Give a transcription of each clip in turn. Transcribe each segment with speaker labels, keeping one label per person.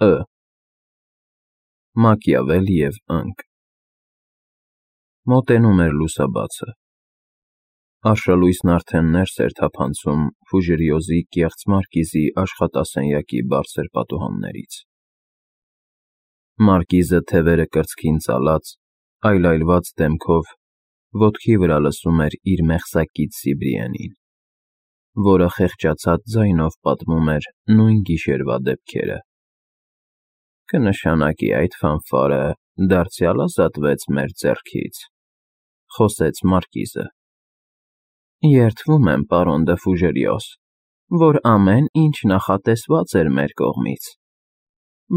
Speaker 1: Ը. Մակիավել և ընկ։ Մոտենում էր լուսաբացը։ Արշալույսն արդեն ներս էր թափանցում Ֆուժերիոզի կեղծ մարկիզի աշխատասենյակի բարձր պատուհաններից։ Մարկիզը թևերը կրծքին ծալած, այլայլված դեմքով ոտքի վրա լսում էր իր մեղսակից Սիբրիենին, որը խեղճացած ձայնով պատմում էր նույն գիշերվա դեպքերը։ «Կնշանակի այդ ֆանֆարը դարձյալ ազատվեց մեր ձեռքից», խոսեց մարկիզը։ «Երդվում եմ, պարոն դը Ֆուժերիոս, որ ամեն ինչ նախատեսված էր մեր կողմից,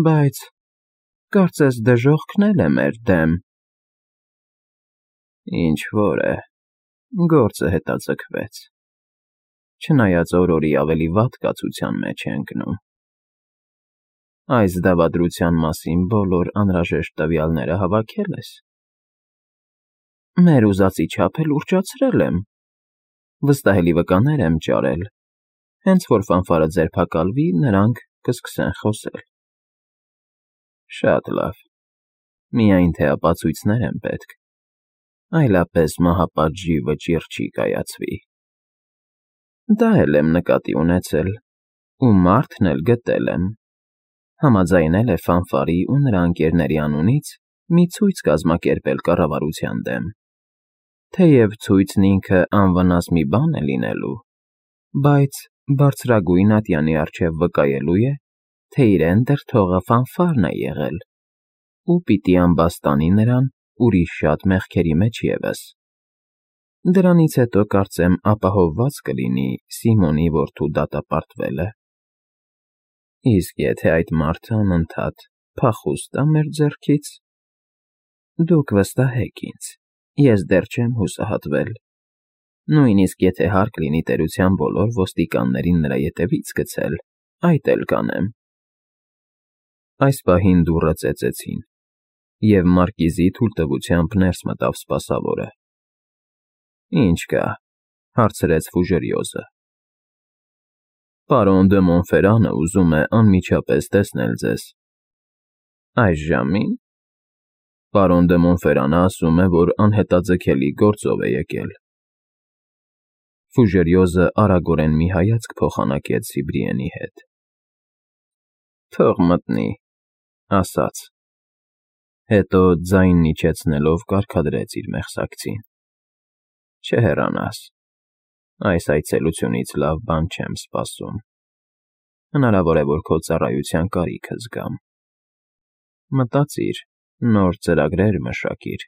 Speaker 1: բայց կարծես դժոխքն էլ է մեր դեմ»։ «Ինչ֊որ է, գործը հետաձգվեց, չնայած օրորի ավելի վատ կացության մեջ է ընկնում։ Այս դավադրության մասին բոլոր անհրաժեշտ տվյալները հավաքե՞լ ես»։ «Մեր ուզածի չափ էլ ուռճացրել եմ, վստահելի վկաներ եմ ճարել, հենց որ ֆանֆարը ձերբակալվի, նրանք կսկսեն խոսել»։ «Շատ լավ, միայն թե ապացույցներ են պետք, այլապես մահապատժի վճիռ չի կայացվի»։ «Դա էլ եմ նկատի ունեցել ու մարդն էլ գտել եմ. համաձայնել է ֆանֆարի ու նրա ընկերների անունից մի ցույց կազմակերպել կառավարության դեմ, թեև ցույցն ինքը անվնաս մի բան է լինելու, բայց բարձրագույն ատյանի առջև վկայելու է, թե իրեն դրդողը ֆանֆարն է եղել ու պիտի ամբաստանի նրան ուրիշ շատ մեղքերի մեջ ևս։ Դրանից հետո կարծեմ ապահովված կլինի Սիմոնի որդու դատապարտվելը։ Իսկ եթե այդ մարդը անընդհատ փախուստ է մեր ձեռքից, դուք վստահեք ինձ, ես դեռ չեմ հուսահատվել, նույնիսկ եթե հարկ լինի տերության բոլոր ոստիկաններին նրա ետևից գցել, այդ էլ կանեմ»։ Այս պահին դուռը ծեծեցին, և մարկիզի թույլտվությամբ ներս մտավ սպասավորը։ «Ինչ կա», հարցրեց Ֆուժերիոզը։ «Պարոն դը Մոնֆերանը ուզում է անմիջապես տեսնել ձեզ»։ «Այս ժամի՞ն»։ «Պարոն դը Մոնֆերանը ասում է, որ անհետաձգելի գործով է եկել»։ Ֆուժերիոզը արագորեն մի հայացք փոխանակեց Սիբրիենի հետ։ «Թող մտնի», ասաց։ Հետո ձայնն իջեցնելով կարգադրեց իր մեղսակցին. «Չհեռանաս, այս այցելությունից լավ բան չեմ սպասում։ Հնարավոր է, որ քո ծառայության կարիքը զգամ։ Մտածիր, նոր ծրագրեր մշակիր։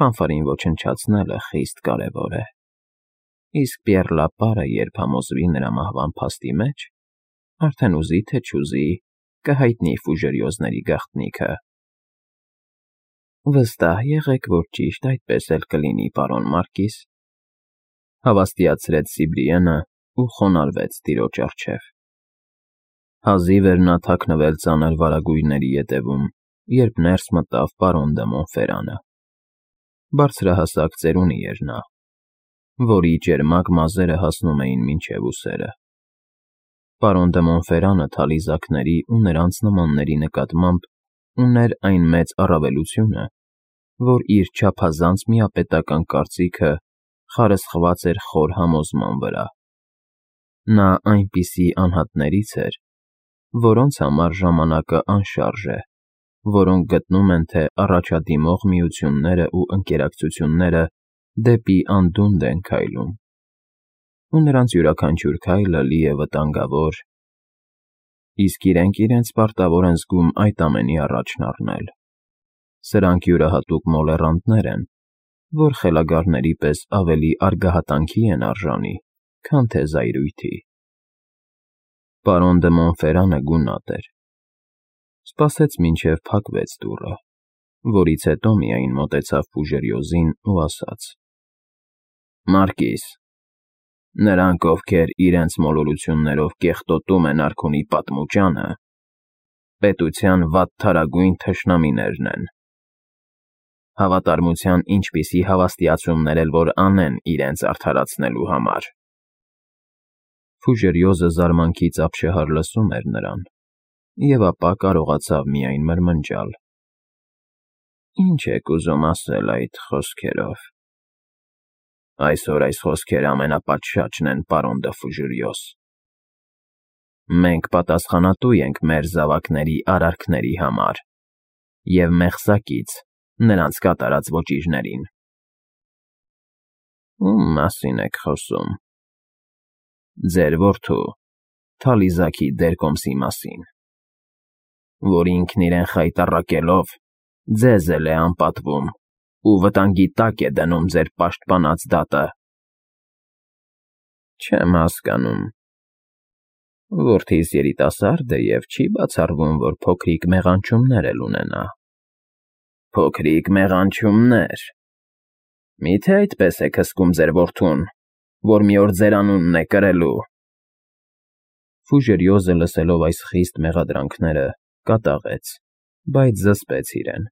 Speaker 1: Ֆանֆարին ոչնչացնելը խիստ կարևոր է։ Իսկ Պիեռ Լապարը, երբ համոզվի նրա մահվան փաստի մեջ, արդեն ուզի թե չուզի, կհայտնի Ֆուժերիոզների գաղտնիքը»։ «Վստահ եղեք, որ ճիշտ այդպես էլ կլինի, պարոն մարկիս», հավաստիացրեց Սիբրիենը ու խոնարհվեց տիրոջ առջև։ Հազիվ էր նա թաքնվել ծանր վարագույրների ետևում, երբ ներս մտավ պարոն դը Մոնֆերանը։ Բարձրահասակ ծերունի էր նա, որի ճերմակ մազերը հասնում էին մինչև ուսերը։ Պարոն դը Մոնֆերանը թալիզակների ու նրանց նմանների նկատմամբ ուներ այն մեծ առավելությունը, որ իր չափազանց միապետական կարծիքը խարսխված էր խոր համոզման վրա։ Նա այնպիսի անհատներից էր, որոնց համար ժամանակը անշարժ է, որոնք գտնում են, թե առաջադիմող միությունները ու ընկերակցությունները դեպի անդունդն են քայլում, ու նրանց յուրաքանչյուր քայլը լի է վտանգավոր, իսկ իրենք պարտավոր են զգում այդ ամենի առաջն առնել։ Սրանք յուրահատուկ մոլեռանդներ են, որ խելագարների պես ավելի արգահատանքի են արժանի, քան թե զայրույթի։ Պարոն դը Մոնֆերանը գունատ էր։ Սպասեց մինչև փակվեց դուռը, որից հետո միայն մոտեցավ Ֆուժերիոզին ու ասաց. «Մարկիս, նրանք, ովքեր իրենց մոլորություններով կեղտոտում են արքունի պատմուճանը, պետության վատթարագույն թշնամիներն են։ Հավատարմության ինչպիսի հավաստիացումներ էլ որ անեն իրենց արդարացնելու համար»։ Ֆուժերիոզը զարմանքից ապշահար լսում էր նրան, և ապա կարողացավ միայն մրմնջալ. «Ինչ եք ուզում ասել այդ խոսքերով»։ «Այսօր այս խոսքերը ամենապատշաճն են, պարոն դը Ֆուժերյոս։ Մենք պատասխանատու ենք մեր զավակների արարքների համար և մեղսակից նրանց կատարած ոճիժներին»։ «Ում մասին եք խոսում»։ «Ձեր որդու՝ Թալիզաքի դերկոմսի մասին, որ ինքն իրեն խայտառակելով ձեզ էլ է անպատվում ու վտանգի տակ է դնում ձեր պաշտպանած դատը»։ «Չեմ հասկանում։ Որդիս երիտասարդ է և չի բացառվում, որ փոքրիկ մեղանչումներ էլ ունենա»։ «Փոքրիկ մեղանչումնե՞ր։ Մի՞թե այդպես եք հսկում ձեր որդուն, որ մի օր ձեր անունն է կրելու»։ Ֆուժերյոզը, լսելով այս խիստ մեղադրանքները, կատաղեց, բայց զսպեց իրեն։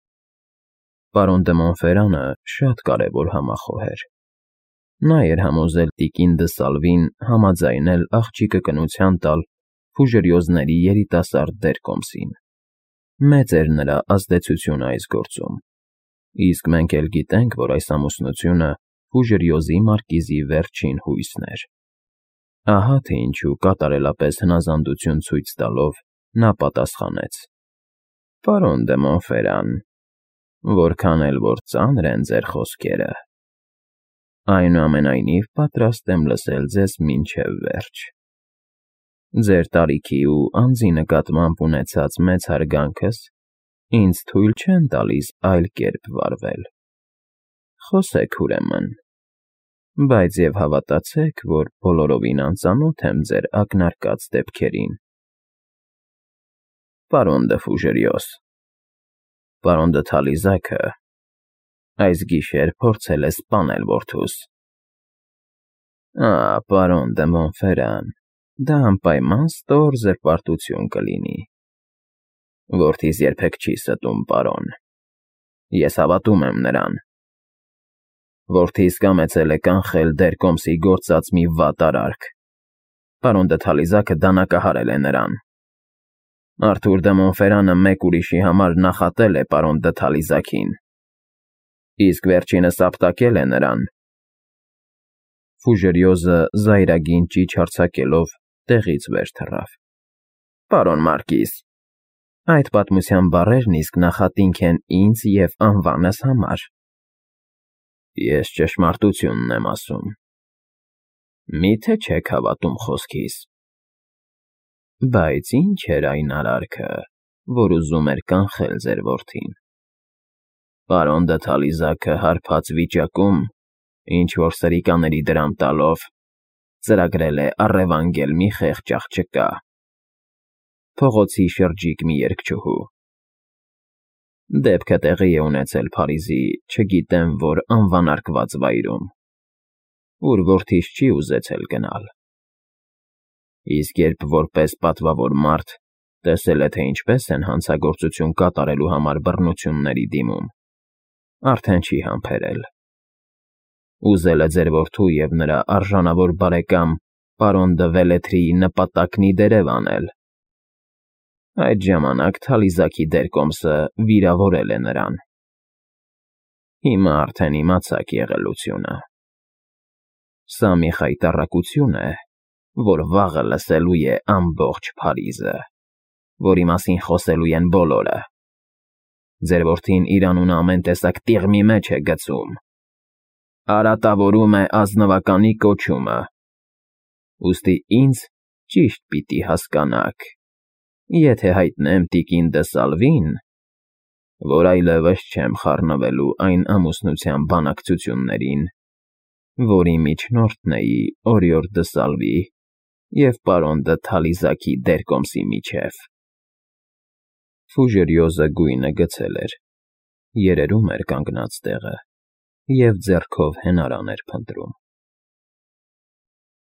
Speaker 1: Պարոն դը Մոնֆերանը շատ կարևոր համախոհ էր։ Նա էր համոզել տիկին դը Սալվին համաձայնել աղջիկը կնության տալ Ֆուժերյոզների երիտասարդ դերկոմսին։ Մեծ էր նրա ազդեցությունը այս գործում, իսկ մենք էլ գիտենք, որ այս ամուսնությունը Ֆուժերյոզի մարկիզի վերջին հույսն էր։ Ահա թե ինչու կատարելապես հնազանդություն ցույց տալով նա պատասխանեց. «Պարոն դը Մոնֆերան, որքան էլ որ ծանր են ձեր խոսքերը, այնուամենայնիվ պատրաստ եմ լսել ձեզ մինչև վերջ։ Ձեր տարիքի ու անձի նկատմամբ ունեցած մեծ հարգանքս ինձ թույլ չեն տալիս այլ կերպ վարվել։ Խոսեք ուրեմն, բայց և հավատացեք, որ բոլորովին անծանոթ եմ ձեր ակնարկած դեպքերին»։ «Պարոն դը Ֆուժերյոս, պարոն դը Թալիզաքը այս գիշեր փորձել է սպանել որդուս»։ Պարոն դը Մոնֆերան, դա անպայման ստոր զրպարտություն կլինի։ Որդիս երբեք չի ստում, պարոն։ Ես հավատում եմ նրան։ Որդիս կամեցել է կանխել դերկոմսի գործած մի վատ արարք։ Պարոն դը Թալիզաքը դանակահարել է նրան։ Արթուր դը Մոնֆերանը մեկ ուրիշի համար նախատել է պարոն դը Թալիզաքին, իսկ վերջինս ապտակել է նրան։ Ֆուժերյոզը զայրագին ճիչ արձակելով տեղից վեր թռավ։ «Պարոն Մարկիզ, այդ պատմության բառերն իսկ նախատինք են ինձ և անվանս համար»։ «Ես ճշմարտությունն եմ ասում։ Մի՞թե չեք հավատում խոսքիս»։ «Բայց ի՞նչ էր այն արարքը, որ ուզում էր կանխել ձեր որդին»։ «Պարոն դը Թալիզաքը հարբած վիճակում, ինչ֊որ սրիկաների դրամ տալով, ծրագրել է առևանգել մի խեղճ աղջկա, փողոցի շրջիկ մի երգչուհու։ Դեպքը տեղի է ունեցել Փարիզի չգիտեմ որ անվանարկված վայրում, ուր որդիս չի ուզեցել գնալ։ Իսկ երբ որպես պատվավոր մարդ տեսել է, թե ինչպես են հանցագործություն կատարելու համար բռնությունների դիմում, արդեն չի համբերել։ Ուզել է ձեր որդու և նրա արժանավոր բարեկամ պարոն դը Վելեթրիի նպատակն ի դերև անել։ Այդ ժամանակ Թալիզաքի դերկոմսը վիրավորել է նրան։ Հիմա արդեն իմացաք եղելությունը։ Սա մի խայտառակություն է, որ վաղը լսելու է ամբողջ Փարիզը, որի մասին խոսելու են բոլորը։ Ձեր որդին իր անունը ամեն տեսակ տիղմի մեջ է գցում, արատավորում է ազնվականի կոչումը։ Ուստի ինձ ճիշտ պիտի հասկանաք, եթե հայտնեմ տիկին դը Սալվին, որ այլևս չեմ խառնվելու այն ամուսնության բանակցություններին, որի միջնորդն էի Օրիոր դը Սալվի և պարոն դը Թալիզաքի դերկոմսի միջև։ Ֆուժերյոզը գույնը գցել էր, երերում էր կանգնած տեղը և ձեռքով հենարան էր փնտրում։